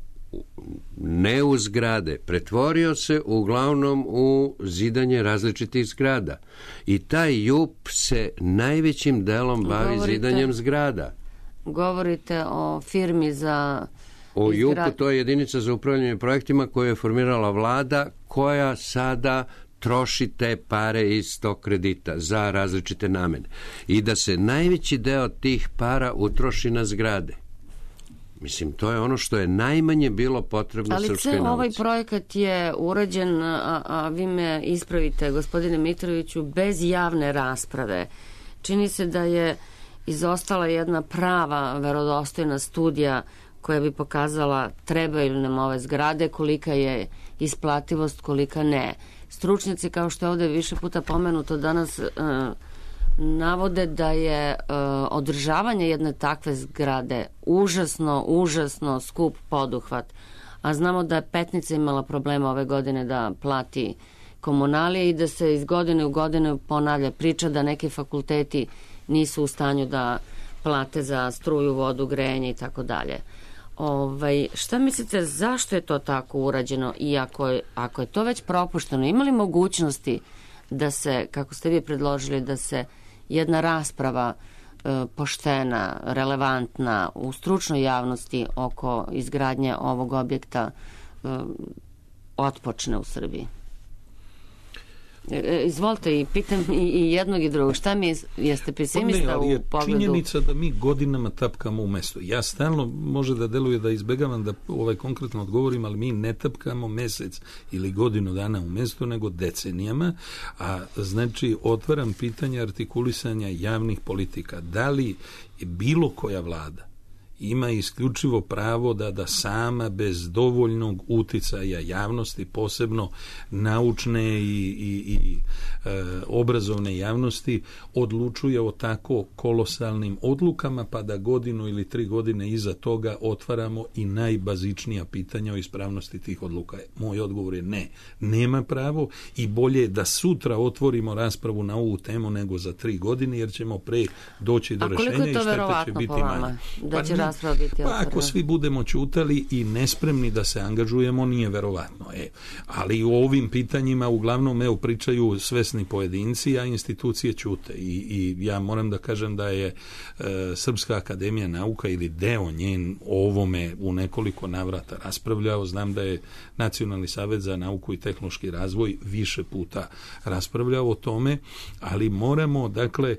ne u zgrade, pretvorio se uglavnom u zidanje različitih zgrada. I taj J U P se najvećim delom bavi govorite, zidanjem zgrada. Govorite o firmi za... O J U P-u, to je jedinica za upravljanje projektima koju je formirala vlada, koja sada troši te pare iz tog kredita za različite namene. I da se najveći deo tih para utroši na zgrade. Mislim, to je ono što je najmanje bilo potrebno ali srpskoj nauci. Ali ovaj projekat je urađen, a, a vi me ispravite, gospodine Mitroviću, bez javne rasprave. Čini se da je izostala jedna prava, verodostojna studija koja bi pokazala trebaju nam ove zgrade, kolika je isplativost, kolika ne. Stručnjaci, kao što je ovde više puta pomenuto danas, uh, navode da je uh, održavanje jedne takve zgrade užasno, užasno skup poduhvat. A znamo da je Petnica imala problema ove godine da plati komunalije i da se iz godine u godinu ponavlja priča da neki fakulteti nisu u stanju da plate za struju, vodu, grejanje i tako dalje. Ovaj, šta mislite, zašto je to tako urađeno i ako je, ako je to već propušteno, ima li mogućnosti da se, kako ste vi predložili, da se jedna rasprava e, poštena, relevantna u stručnoj javnosti oko izgradnje ovog objekta e, otpočne u Srbiji? E, izvolite, i pitam i, i jednog i drugog. Šta mi, jeste pesimista ne, ali u pogledu? Činjenica da mi godinama tapkamo u mestu. Ja stalno, može da deluje da izbegavam da ovaj konkretno odgovorim, ali mi ne tapkamo mesec ili godinu dana u mestu, nego decenijama, a znači otvaram pitanje artikulisanja javnih politika. Da li bilo koja vlada ima isključivo pravo da, da sama bez dovoljnog uticaja javnosti, posebno naučne i, i, i e, obrazovne javnosti, odlučuje o tako kolosalnim odlukama, pa da godinu ili tri godine iza toga otvaramo i najbazičnija pitanja o ispravnosti tih odluka. Moj odgovor je ne. Nema pravo i bolje je da sutra otvorimo raspravu na ovu temu nego za tri godine, jer ćemo pre doći do rešenja i štete će biti manje. Da će pa, rasprava biti otvorena? Pa ako svi budemo ćutali i nespremni da se angažujemo, nije verovatno. E, ali u ovim pitanjima uglavnom evo, pričaju svesni pojedinci, a institucije ćute. I, i ja moram da kažem da je e, Srpska akademija nauka ili deo njen o ovome u nekoliko navrata raspravljao. Znam da je Nacionalni savet za nauku i tehnološki razvoj više puta raspravljao o tome, ali moramo, dakle, e,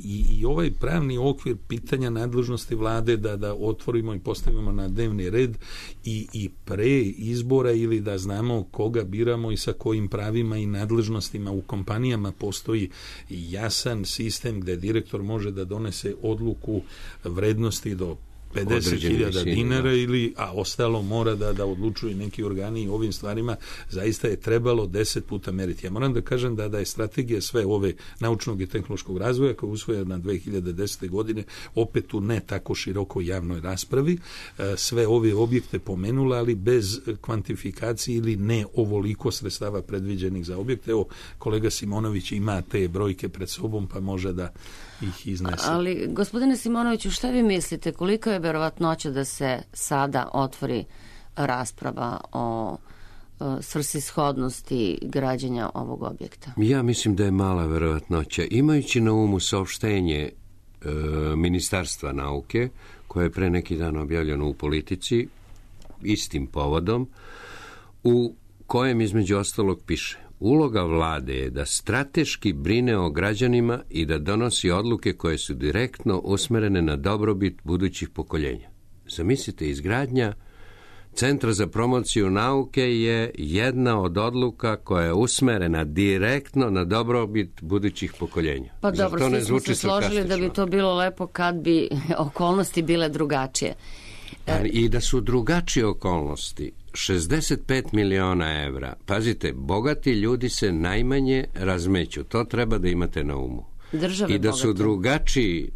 i, i ovaj pravni okvir pitanja nadležnosti vlade da, da otvorimo i postavimo na dnevni red i, i pre izbora ili da znamo koga biramo i sa kojim pravima i nadležnostima u kompanijama postoji jasan sistem gde direktor može da donese odluku vrednosti do pedeset hiljada dinara ili, a ostalo mora da, da odlučuju neki organi i ovim stvarima zaista je trebalo deset puta meriti. Ja moram da kažem da, da je strategija sve ove naučnog i tehnološkog razvoja koja je usvojena dve hiljade desete. godine opet u ne tako širokoj javnoj raspravi sve ove objekte pomenula, ali bez kvantifikacije ili ne ovoliko sredstava predviđenih za objekte. Evo, kolega Simonović ima te brojke pred sobom pa može da ih iznese. Ali, gospodine Simonoviću, šta vi mislite, koliko je verovatnoća da se sada otvori rasprava o svrsishodnosti građenja ovog objekta? Ja mislim da je mala verovatnoća. Imajući na umu saopštenje e, Ministarstva nauke, koje je pre neki dan objavljeno u Politici, istim povodom, u kojem između ostalog piše: uloga vlade je da strateški brine o građanima i da donosi odluke koje su direktno usmerene na dobrobit budućih pokoljenja. Zamislite, izgradnja Centra za promociju nauke je jedna od odluka koja je usmerena direktno na dobrobit budućih pokoljenja. Pa dobro, svi smo se složili da bi to bilo lepo kad bi okolnosti bile drugačije. I da su drugačije okolnosti, šezdeset pet miliona evra. Pazite, bogati ljudi se najmanje razmeću. To treba da imate na umu. Države I da su bogate. drugačiji,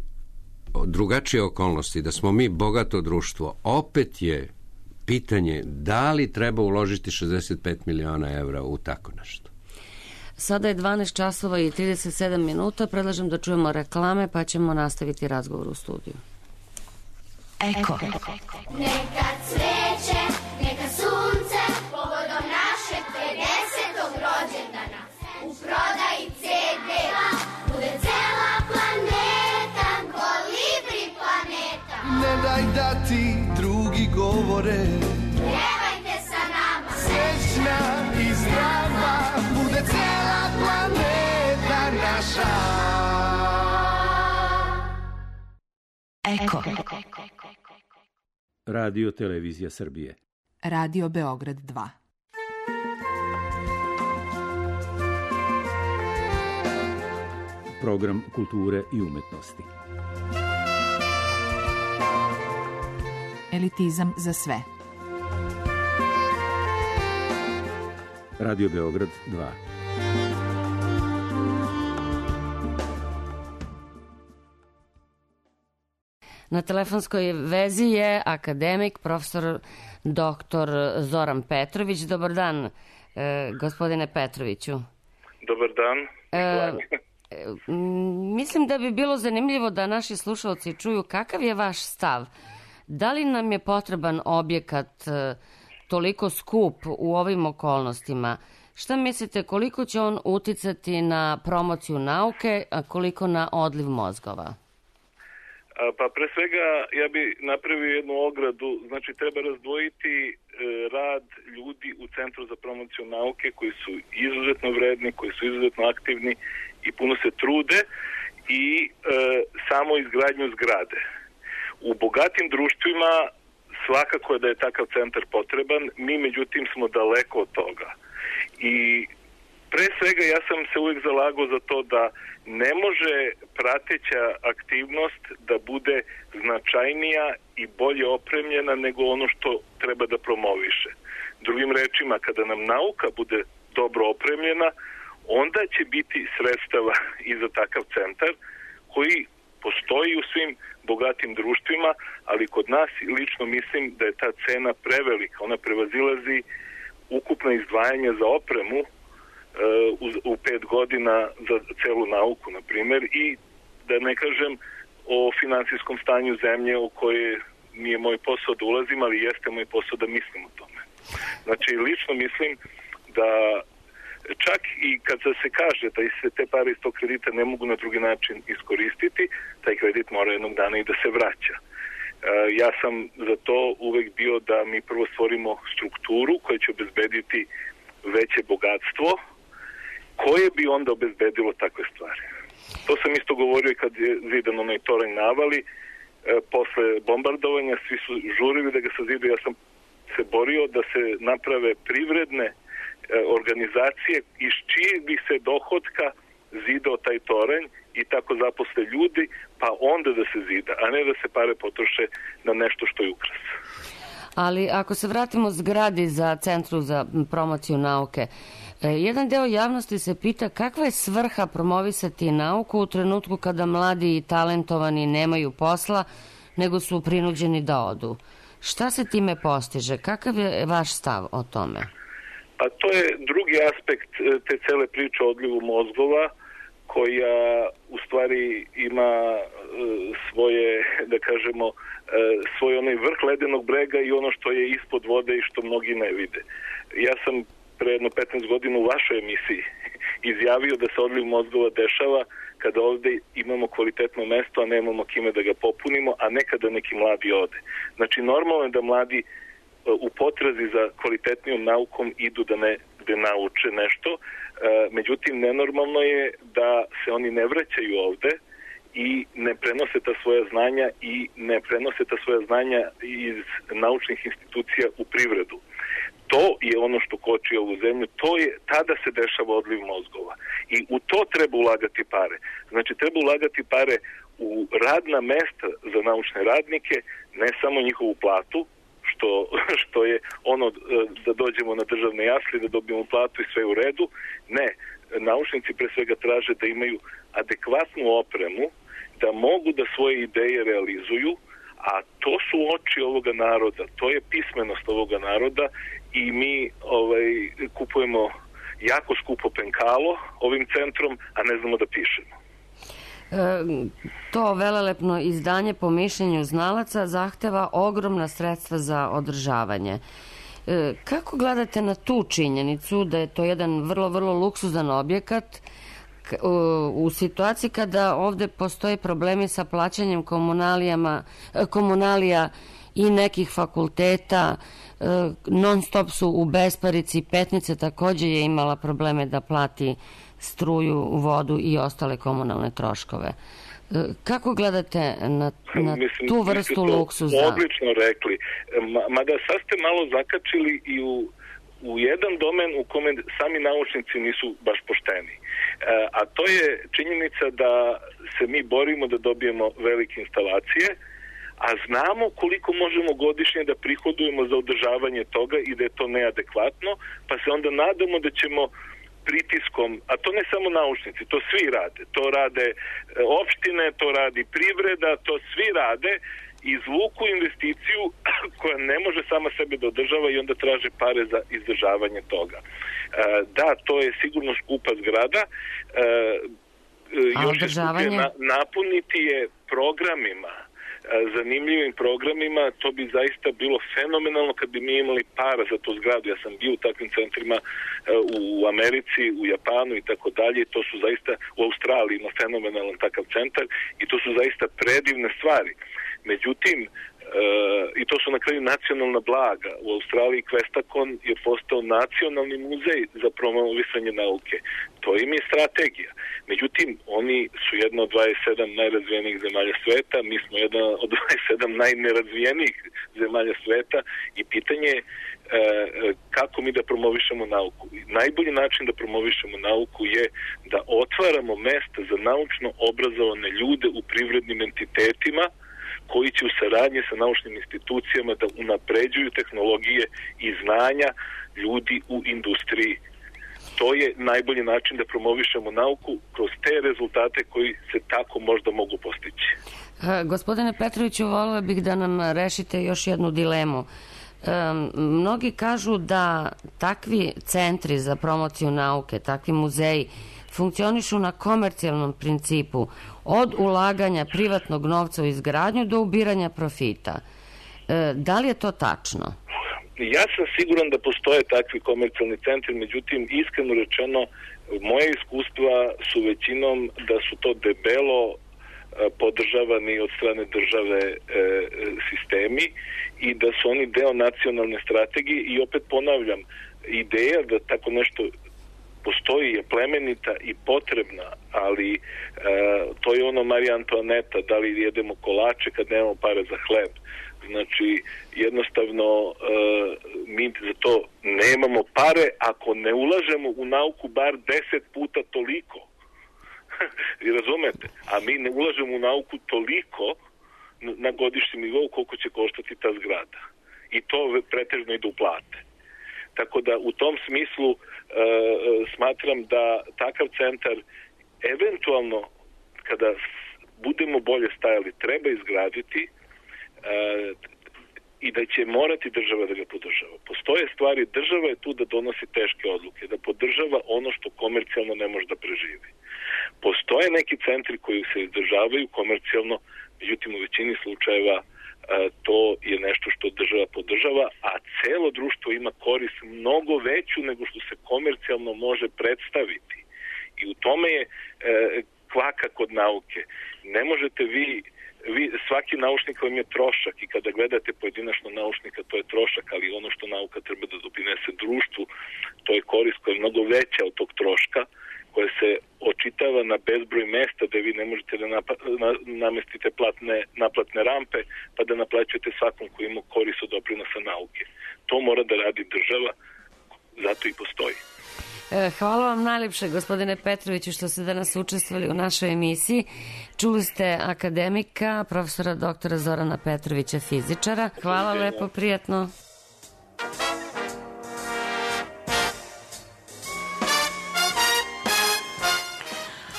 drugačije okolnosti, da smo mi bogato društvo, opet je pitanje da li treba uložiti šezdeset pet miliona evra u tako nešto. Sada je dvanaest časova i trideset sedam minuta. Predlažem da čujemo reklame, pa ćemo nastaviti razgovor u studiju. Eko. Neka cveće, neka sunce, povodom našeg pedesetog rođendana. U prodaji ce de bude cela planeta, kolibri planeta. Ne daj da ti drugi govore, Pjevajte sa nama. srećna i zdrava, bude cela planeta naša. Eko. Radio Televizija Srbije. Radio Beograd dva. Program kulture i umetnosti. Elitizam za sve. Radio Beograd dva. Na telefonskoj vezi je akademik, profesor doktor Zoran Petrović. Dobar dan, e, gospodine Petroviću. Dobar dan. E, mislim da bi bilo zanimljivo da naši slušalci čuju kakav je vaš stav. Da li nam je potreban objekat e, toliko skup u ovim okolnostima? Šta mislite, koliko će on uticati na promociju nauke, a koliko na odliv mozgova? Pa pre svega ja bi napravio jednu ogradu, znači treba razdvojiti e, rad ljudi u Centru za promociju nauke koji su izuzetno vredni, koji su izuzetno aktivni i puno se trude i e, samo izgradnju zgrade. U bogatim društvima svakako je da je takav centar potreban, mi međutim smo daleko od toga. I Pre svega ja sam se uvijek zalagao za to da ne može prateća aktivnost da bude značajnija i bolje opremljena nego ono što treba da promoviše. Drugim rečima, kada nam nauka bude dobro opremljena, onda će biti sredstava i za takav centar koji postoji u svim bogatim društvima, ali kod nas lično mislim da je ta cena prevelika. Ona prevazilazi ukupna izdvajanja za opremu u, u pet godina za celu nauku, na primjer, i da ne kažem o finansijskom stanju zemlje u koje nije moj posao da ulazim, ali jeste moj posao da mislim o tome. Znači, lično mislim da čak i kad se kaže da se te pare iz tog kredita ne mogu na drugi način iskoristiti, taj kredit mora jednog dana i da se vraća. Ja sam za to uvek bio da mi prvo stvorimo strukturu koja će obezbediti veće bogatstvo, koje bi onda obezbedilo takve stvari. To sam isto govorio i kad je zidan onaj toranj navali, e, posle bombardovanja svi su žurili da ga sazide. Ja sam se borio da se naprave privredne e, organizacije iz čijeg bi se dohotka zidao taj toranj i tako zaposle ljudi, pa onda da se zida, a ne da se pare potroše na nešto što je ukras. Ali ako se vratimo zgradi za Centru za promociju nauke, jedan deo javnosti se pita kakva je svrha promovisati nauku u trenutku kada mladi i talentovani nemaju posla, nego su prinuđeni da odu. Šta se time postiže? Kakav je vaš stav o tome? Pa to je drugi aspekt te cele priče o odlivu mozgova, koja u stvari ima svoje, da kažemo, svoj onaj vrh ledenog brega i ono što je ispod vode i što mnogi ne vide. Ja sam pre jedno petnaest godina u vašoj emisiji izjavio da se odliv mozgova dešava kada ovde imamo kvalitetno mesto, a nemamo kime da ga popunimo, a nekada neki mladi ode. Znači, normalno je da mladi u potrazi za kvalitetnijom naukom idu da ne gde nauče nešto, međutim, nenormalno je da se oni ne vraćaju ovde i ne prenose ta svoja znanja i ne prenose ta svoja znanja iz naučnih institucija u privredu. To je ono što koči ovu zemlju, to je, tada se dešava odliv mozgova. I u to treba ulagati pare. Znači, treba ulagati pare u radna mesta za naučne radnike, ne samo njihovu platu, što, što je ono da dođemo na državne jasli, da dobijemo platu i sve u redu. Ne, naučnici pre svega traže da imaju adekvatnu opremu, da mogu da svoje ideje realizuju, a to su oči ovoga naroda, to je pismenost ovoga naroda i mi ovaj, kupujemo jako skupo penkalo ovim centrom, a ne znamo da pišemo. E, to velelepno izdanje po mišljenju znalaca zahteva ogromna sredstva za održavanje. E, kako gledate na tu činjenicu da je to jedan vrlo, vrlo luksuzan objekat u situaciji kada ovde postoje problemi sa plaćanjem komunalijama, komunalija i nekih fakulteta, non stop su u besparici, Petnica takođe je imala probleme da plati struju, vodu i ostale komunalne troškove. Kako gledate na, na mislim, tu vrstu luksuza? Odlično rekli. Mada sad ste malo zakačili i u, u jedan domen u kome sami naučnici nisu baš pošteni. A to je činjenica da se mi borimo da dobijemo velike instalacije, a znamo koliko možemo godišnje da prihodujemo za održavanje toga i da je to neadekvatno, pa se onda nadamo da ćemo pritiskom, a to ne samo naučnici, to svi rade. To rade opštine, to radi privreda, to svi rade, izvuku investiciju koja ne može sama sebe da održava i onda traže pare za izdržavanje toga. Da, to je sigurno skupa zgrada. Još je skuplje napuniti je programima, zanimljivim programima, to bi zaista bilo fenomenalno kad bi mi imali para za tu zgradu. Ja sam bio u takvim centrima u Americi, u Japanu i tako dalje. To su zaista, u Australiji ima fenomenalan takav centar i to su zaista predivne stvari. Međutim, i to su na kraju nacionalna blaga. U Australiji Questacon je postao nacionalni muzej za promovisanje nauke. To im je strategija. Međutim, oni su jedna od dvadeset sedam najrazvijenijih zemalja sveta, mi smo jedna od dvadeset sedam najnerazvijenijih zemalja sveta i pitanje je kako mi da promovišemo nauku. Najbolji način da promovišemo nauku je da otvaramo mesta za naučno obrazovane ljude u privrednim entitetima koji će u saradnji sa naučnim institucijama da unapređuju tehnologije i znanja ljudi u industriji. To je najbolji način da promovišemo nauku kroz te rezultate koji se tako možda mogu postići. E, gospodine Petroviću, volio bih da nam rešite još jednu dilemu. Um, mnogi kažu da takvi centri za promociju nauke, takvi muzeji funkcionišu na komercijalnom principu, od ulaganja privatnog novca u izgradnju do ubiranja profita. E, da li je to tačno? Ja sam siguran da postoje takvi komercijalni centri, međutim, iskreno rečeno, moje iskustva su većinom da su to debelo podržavani od strane države e, sistemi i da su oni deo nacionalne strategije i opet ponavljam, ideja da tako nešto postoji je plemenita i potrebna, ali e, to je ono Marija Antoaneta, da li jedemo kolače kad nemamo pare za hleb. Znači, jednostavno e, mi za to nemamo pare ako ne ulažemo u nauku bar deset puta toliko. I razumete? A mi ne ulažemo u nauku toliko na godišnjem nivou koliko će koštati ta zgrada. I to pretežno ide u plate. Tako da u tom smislu e, smatram da takav centar eventualno kada budemo bolje stajali treba izgraditi e, i da će morati država da ga podržava. Postoje stvari, država je tu da donosi teške odluke, da podržava ono što komercijalno ne može da preživi. Postoje neki centri koji se izdržavaju komercijalno, međutim u većini slučajeva a, to je nešto što država podržava, a celo društvo ima korist mnogo veću nego što se komercijalno može predstaviti. I u tome je e, kvaka kod nauke. Ne možete vi Vi, svaki naučnik vam je trošak i kada gledate pojedinačno naučnika to je trošak, ali ono što nauka treba da doprinese društvu, to je korist koja je mnogo veća od tog troška, koja se očitava na bezbroj mesta da vi ne možete da napa, na, namestite platne, naplatne rampe pa da naplaćujete svakom koji ima korist od doprinosa nauke. To mora da radi država, zato i postoji. Hvala vam najljepše, gospodine Petroviću, što ste danas učestvovali u našoj emisiji. Čuli ste akademika, profesora doktora Zorana Petrovića, fizičara. Hvala lepo, prijatno.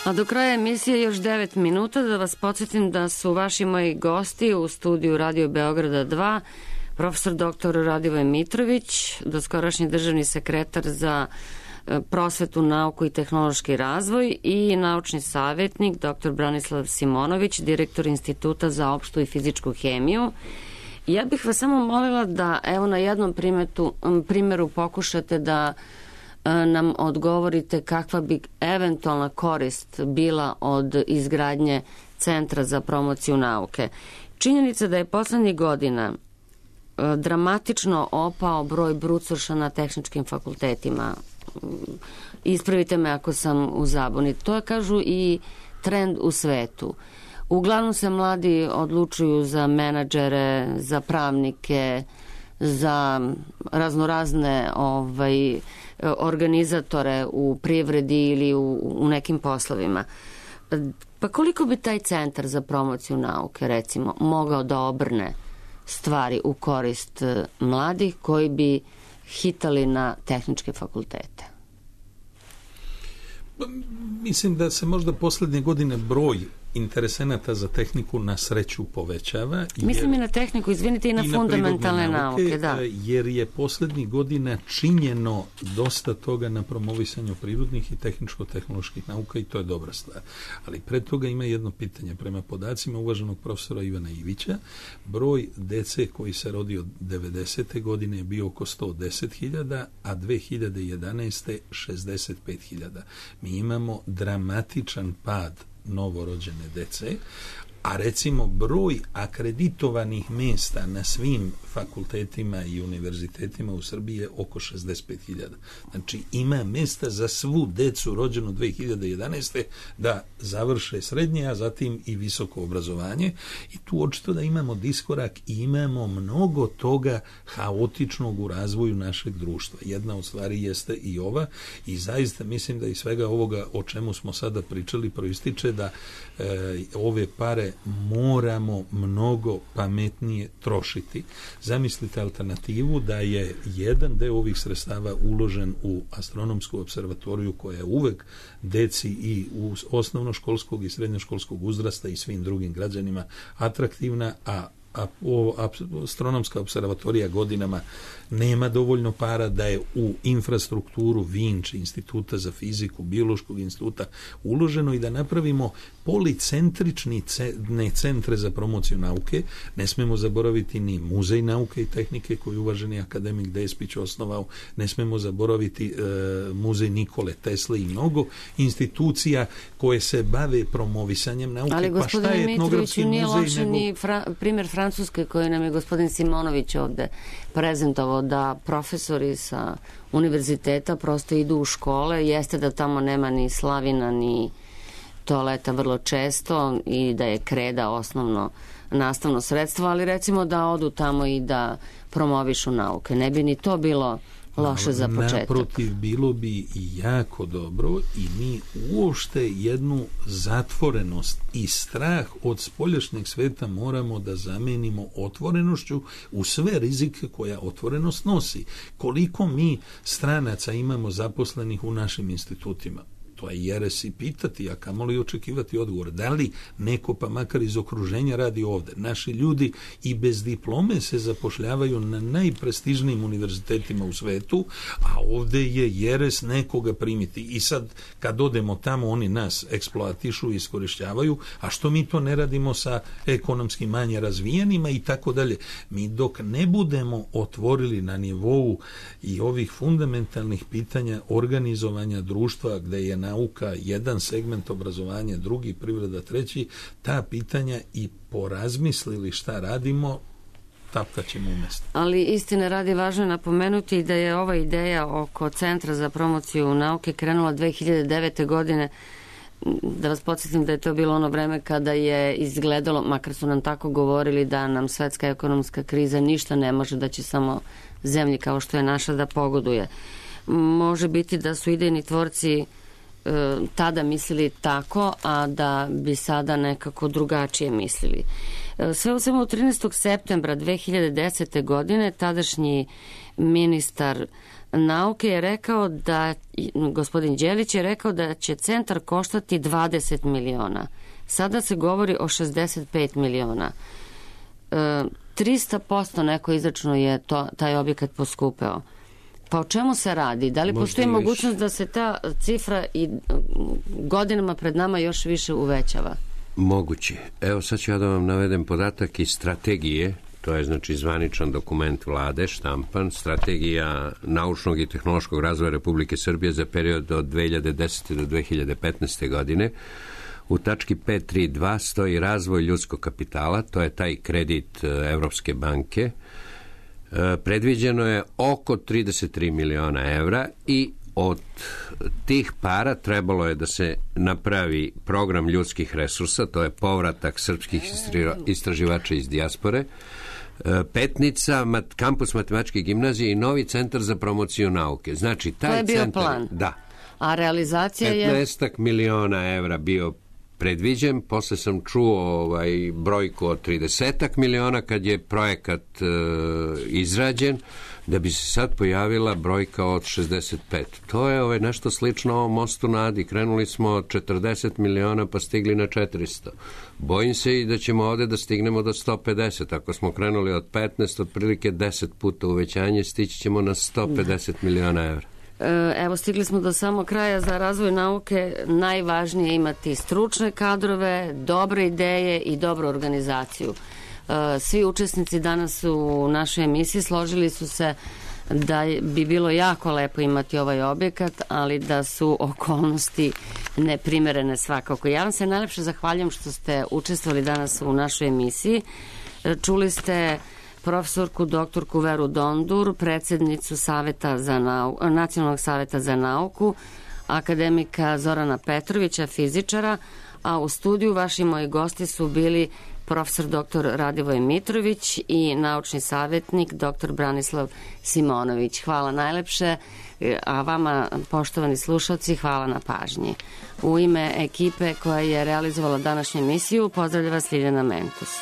A do kraja emisije još devet minuta da vas podsjetim da su vaši moji gosti u studiju Radio Beograda dva, profesor doktor Radivoj Mitrović, doskorašnji državni sekretar za prosvetu, nauku i tehnološki razvoj, i naučni savjetnik doktor Branislav Simonović, direktor Instituta za opštu i fizičku hemiju. Ja bih vas samo molila da evo na jednom primetu, primjeru pokušate da nam odgovorite kakva bi eventualna korist bila od izgradnje Centra za promociju nauke. Činjenica da je poslednjih godina dramatično opao broj brucoša na tehničkim fakultetima. Ispravite me ako sam u zabuni. To je, kažu, i trend u svetu. Uglavnom se mladi odlučuju za menadžere, za pravnike, za raznorazne ovaj, organizatore u privredi ili u, u nekim poslovima. Pa koliko bi taj centar za promociju nauke, recimo, mogao da obrne stvari u korist mladih koji bi hitali na tehničke fakultete? Mislim da se možda poslednje godine broj interesenata za tehniku na sreću povećava. Jer, mislim i na tehniku, izvinite, i na, i na fundamentalne nauke, nauke, da. Jer je poslednjih godina činjeno dosta toga na promovisanju prirodnih i tehničko-tehnoloških nauka i to je dobra stvar. Ali pred toga ima jedno pitanje. Prema podacima uvaženog profesora Ivana Ivića, broj dece koji se rodi od devedesete godine je bio oko sto deset hiljada, a dve hiljade jedanaeste. šezdeset pet hiljada. Mi imamo dramatičan pad novorođene dece, a recimo broj akreditovanih mjesta na svim fakultetima i univerzitetima u Srbiji je oko šezdeset pet hiljada. Znači ima mjesta za svu decu rođenu dve hiljade jedanaeste da završe srednje, a zatim i visoko obrazovanje, i tu očito da imamo diskorak i imamo mnogo toga haotičnog u razvoju našeg društva. Jedna od stvari jeste i ova, i zaista mislim da iz svega ovoga o čemu smo sada pričali proističe da e, ove pare moramo mnogo pametnije trošiti. Zamislite alternativu da je jedan deo ovih sredstava uložen u astronomsku observatoriju koja je uvek deci i u osnovnoškolskog i srednjoškolskog uzrasta i svim drugim građanima atraktivna, a a astronomska observatorija godinama nema dovoljno para, da je u infrastrukturu Vinč, Instituta za fiziku, Biološkog instituta uloženo, i da napravimo policentrični centre za promociju nauke. Ne smemo zaboraviti ni Muzej nauke i tehnike koji je uvaženi akademik Despić osnovao, ne smemo zaboraviti e, Muzej Nikole Tesle i mnogo institucija koje se bave promovisanjem nauke. Ali pa šta je etnografski nije muzej loše nego... ni fra, primjer Francuske koji nam je gospodin Simonović ovde prezentovao, da profesori sa univerziteta prosto idu u škole. Jeste da tamo nema ni slavina ni toaleta vrlo često i da je kreda osnovno nastavno sredstvo, ali recimo da odu tamo i da promovišu nauke. Ne bi ni to bilo loše za početak. Naprotiv, bilo bi i jako dobro, i mi uopšte jednu zatvorenost i strah od spoljašnjeg sveta moramo da zamenimo otvorenošću u sve rizike koja otvorenost nosi. Koliko mi stranaca imamo zaposlenih u našim institutima? To je jeres i pitati, a kamoli očekivati odgovor. Da li neko, pa makar iz okruženja, radi ovde? Naši ljudi i bez diplome se zapošljavaju na najprestižnijim univerzitetima u svetu, a ovde je jeres nekoga primiti. I sad, kad odemo tamo, oni nas eksploatišu i iskorišćavaju, a što mi to ne radimo sa ekonomski manje razvijenima i tako dalje. Mi dok ne budemo otvorili na nivou i ovih fundamentalnih pitanja organizovanja društva, gde je nauka jedan segment obrazovanja, drugi privreda, treći, ta pitanja i porazmislili šta radimo, tapkat ćemo umjesto. Ali istine radi važno je napomenuti da je ova ideja oko Centra za promociju nauke krenula dve hiljade devete. godine. Da vas podsjetim da je to bilo ono vreme kada je izgledalo, makar su nam tako govorili, da nam svetska ekonomska kriza ništa ne može, da će samo zemlji kao što je naša da pogoduje. Može biti da su idejni tvorci tada mislili tako, a da bi sada nekako drugačije mislili. Sve u svemu trinaestog septembra dve hiljade desete. godine tadašnji ministar nauke je rekao da, gospodin Đelić je rekao da će centar koštati dvadeset miliona. Sada se govori o šezdeset pet miliona. E, trista posto neko izračno je to, taj objekat poskupeo. Pa o čemu se radi? Da li možda postoji mogućnost da se ta cifra i godinama pred nama još više uvećava? Moguće. Evo sad ću ja da vam navedem podatak iz strategije, to je znači zvaničan dokument vlade, štampan, strategija naučnog i tehnološkog razvoja Republike Srbije za period od dve hiljade desete. do dve hiljade petnaeste. godine. U tački pet tri dva stoji razvoj ljudskog kapitala, to je taj kredit Evropske banke. Predviđeno je oko trideset tri miliona evra i od tih para trebalo je da se napravi program ljudskih resursa, to je povratak srpskih istraživača iz dijaspore, Petnica, kampus matematičke gimnazije i novi centar za promociju nauke. Znači, taj to je bio centar, plan. Da. A realizacija je... petnaest miliona evra bio predviđen, posle sam čuo ovaj, brojku od trideset miliona kad je projekat e, izrađen, da bi se sad pojavila brojka od šezdeset pet. To je ovaj, nešto slično ovom mostu na Adi. Krenuli smo od četrdeset miliona pa stigli na četiristo. Bojim se i da ćemo ovde da stignemo do sto pedeset. Ako smo krenuli od petnaest, otprilike deset puta uvećanje, stići ćemo na sto pedeset miliona evra. Evo, stigli smo do samog kraja. Za razvoj nauke najvažnije je imati stručne kadrove, dobre ideje i dobru organizaciju. Svi učesnici danas u našoj emisiji složili su se da bi bilo jako lepo imati ovaj objekat, ali da su okolnosti neprimerene svakako. Ja vam se najlepše zahvaljujem što ste učestvovali danas u našoj emisiji. Čuli ste profesorku doktorku Veru Dondur, predsjednicu Saveta za nau... Nacionalnog saveta za nauku, akademika Zorana Petrovića, fizičara, a u studiju vaši moji gosti su bili profesor doktor Radivoj Mitrović i naučni savjetnik doktor Branislav Simonović. Hvala najlepše, a vama, poštovani slušalci, hvala na pažnji. U ime ekipe koja je realizovala današnju emisiju, pozdravlja vas Ljiljana Mentus.